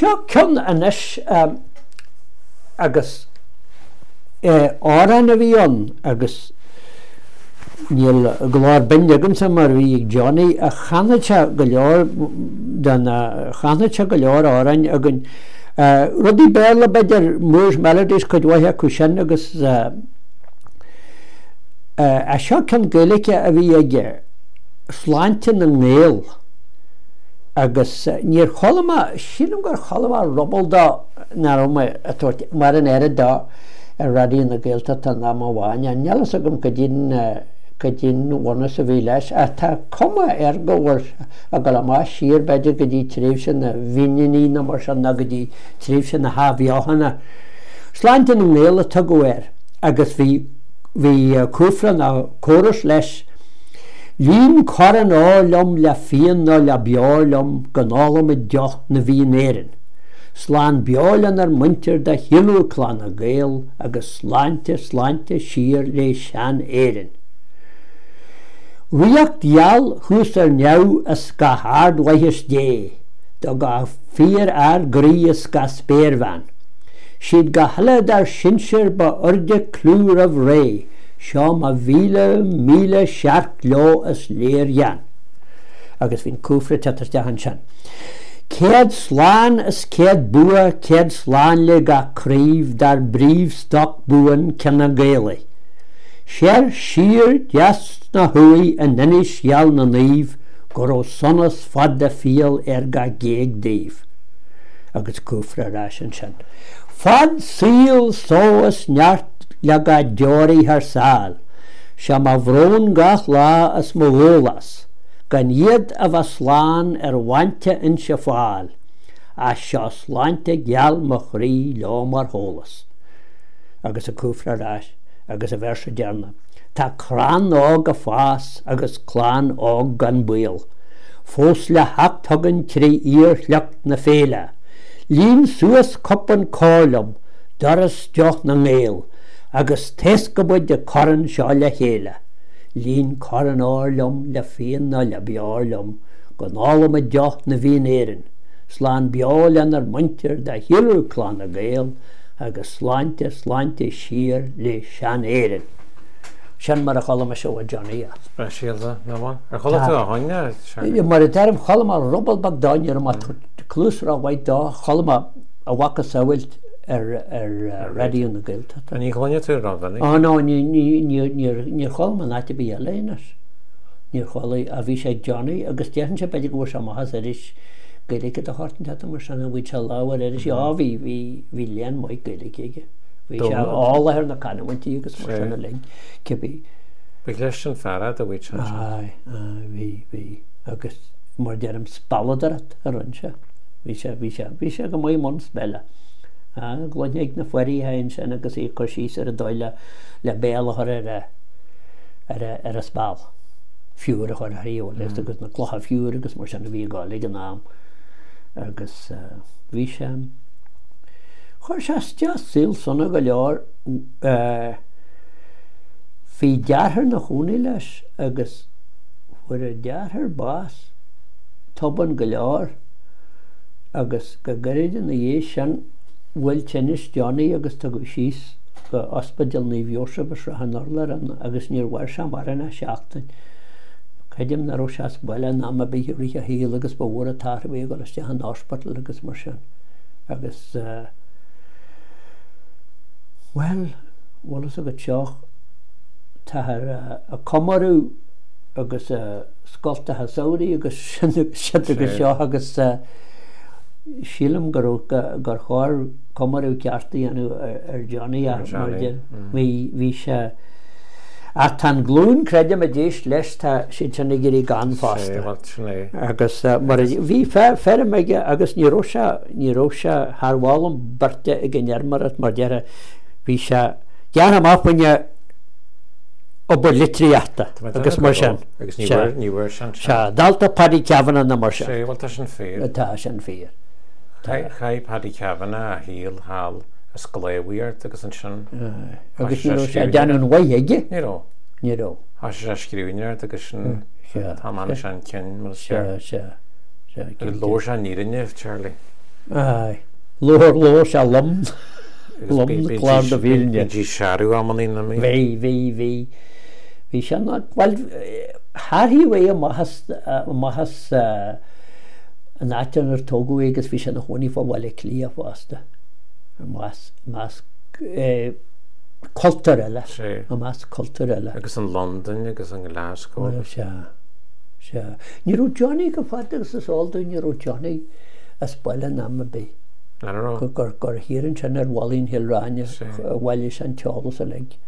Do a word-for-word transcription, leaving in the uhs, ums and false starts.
Seo ceann anois agus amhrán a bhí ann agus níl glór binn agamsa mar a bhí ag Johnny ach chanadh sé go leor de na, chanadh sé go leor amhráin againn. Rudaí Béarla b'fhéidir, Moore's Melodies cuid mhaith acu sin agus seo ceann Gaeilge a bhí aige, Sláinte na nGael. Agus níor chuala mé, sílim gur chuala mé ruball dó nach raibh mé ag tabhairt mar an oiread dó ar Raidió na Gaeltachta in am amháin. Níl fhios agam goidé'n, goidé'n bhunús a bhí leis ach tá cuma air go bhfuil sé ag dul amach siar b'fhéidir go dtí tréimhse na bhFíníní nó mar sin nó go dtí tréimhse na hAthbheochana. Sláinte na nGael a tugadh air agus bhí, bhí cúfra nó córas leis. Líon corn óir liom le fíon nó le beoir liom go n-ólfaimid deoch na bhFiann Éireann. Slán beo lenár muintir de shíolrú Clanna Gael agus sláinte, sláinte siar lé sean-Éirinn. Ríocht gheal thuas ar neamh is gach ardmhaitheas Dé do gach fíorfhear groí is gach spéirbhean. Siad gach uile dár sinsir ba airde clú roimh ré, Seo mo mhíle míle searc leo is léirghean. Agus bhí an cúfra ag teacht isteach ansin. Céad slán is céad bua, céad slán le gach craobh dár bpríomhstoc buan cine Gaelaigh. Soir, siar, deas ná thuaidh in Inis gheal na Naomh go raibh sonas fada fial ar gach géag daoibh. Agus cúfra ar ais ansin. Fad saoil, só is neart le gach deoraí thar sáil. Sé mo bhrón gach lá is mo dhólás, gan iad a bheith slán ar bhailte Inse Fáil, ach seo sláinte gheal mo chroí leo mar shólás. Agus an cúfra ar ais, agus an véarsa deireanach. Tá crann óg ag fás agus clann óg gan baol, fós le theacht chugainn trí fhíorshliocht na féile. Líon suas cupán cóir liom, doras deoch na nGael, agus taoscfaidh muid an corn seo le chéile. Líon corn óir liom le fíon nó le beoir liom, go n-ólfaidh muid deoch na bhFiann Éireann. Slán beo lenár muintir de shíolrú Clanna Gael, agus sláinte, sláinte siar le sean-Éirinn. Sin mar a chuala mise ó Johnny é. Speisialta, nach bhfuil? Ar chuala tú a choinne, Charlie? Mar a deirim, chuala mé ruball beag dó, ní raibh mé ag tabhairt cluas rómhaith dó, chuala mé a mhacasamhail ar Raidió na Gaeltachta. Ní chluineann tú rómhinic? Ó no, ní, ní, ní, níor, níor chuala mé in áit ar bith eile é anois. Níor chuala, ach bhí sé ag Johnny agus déarfainnse b'fhéidir go bhfuair sé amach as iris Gaeilge de shórt inteacht mar sin, bhí sé lámh ar iris, á bhí, bhí, bhí léann maith Gaeilge aige. Bhí sé eolach ar na canúintí agus mar sin uilig, cibé. Ba chliste an fear é do bhí sé ansin. Aye, aye, bhí, bhí. Agus mar deirim, spealadóireacht a rinne sé. Bhí sé, bhí sé, bhí sé go maith i mbun speile. Aye, gcluinfeá ag na foirithe ansin agus é ag cur síos ar an dóigh le, le béal a chur ar a, ar a, ar a speal. Fiúr a chur uirthi, bhfuil fhios agus na clocha fiúir agus mar sin a bhí ag gabháil ag an am. Agus bhí sé, chuir sé isteach saol sona go leor. Bhí deartháir ina chónaí leis agus fuair a deartháir bás tobann go leor agus go gairid ina dhiaidh sin bhuail tinneas Johnny agus tugadh síos go Ospidéal Naomh Iósaf i Srath an Urláir é agus níor mhair sé mórán ach seachtain. Creidim nach raibh sé as baile in am ar bith i rith a shaoil agus ba mhór an t-athrú é a dhul isteach in ospital agus mar sin. Agus bhuel, bhfuil fhios agat seo, táthar ag comóradh agus scoltacha samhraidh agus sin agus agus seo agus sílim go raibh, gur chóir comóradh ceart a dhéanamh ar Johnny ach mar bhí, bhí sé, ach tá an glúin creidim a d'éist leis, tá siad sin ag éirí gann fosta. Agus mar a, bhí feirm aige agus ní raibh sé, ní raibh sé thar mholadh beirte ag an fheirmeoireacht mar déarfá, bhí sé gearrtha amach faoina obair litríochta agus mar sin. Agus ní bhfuair, ní bhfuair sé an seans. Sea, dalta Paddy Kavanagh nó mar sin. Sea, bhuel tá sin fíor. Tá sin fíor. Chaith Paddy Kavanagh a shaol thall ag sclábhaíocht agus ansin Agus ní raibh sé ag déanamh aon mhaith aige. Ní raibh. Ní raibh. Thoisigh sé ag scríbhneoireacht agus sin tá man sin cinn mar is ceart. Sea, sea, sea. Agus labhair sé an fhírinne, Charlie. Aye. Labhair labhair sé lom lom clár na fírinne. Bhí searú amannaí na mí. Bhí, bhí, bhí. Bhí sé ná, bhuel, tharraing é amach as, amach as an áit inar tógadh é agus bhí sé ina chónaí fá Bhaile Átha Cliath fosta. I measc, measc cultúr eile. I measc cultúr eile. Agus an Londain agus an Glasgow. Bhuel, sea, sea. Ní raibh Johnny go fada agus is eol dúinn, ní raibh Johnny as baile in am ar bith. An raibh? Gur, gur, gur thiar ansin ar Mhalainn Chill Ráine a bhailigh sé an t-eolas uilig.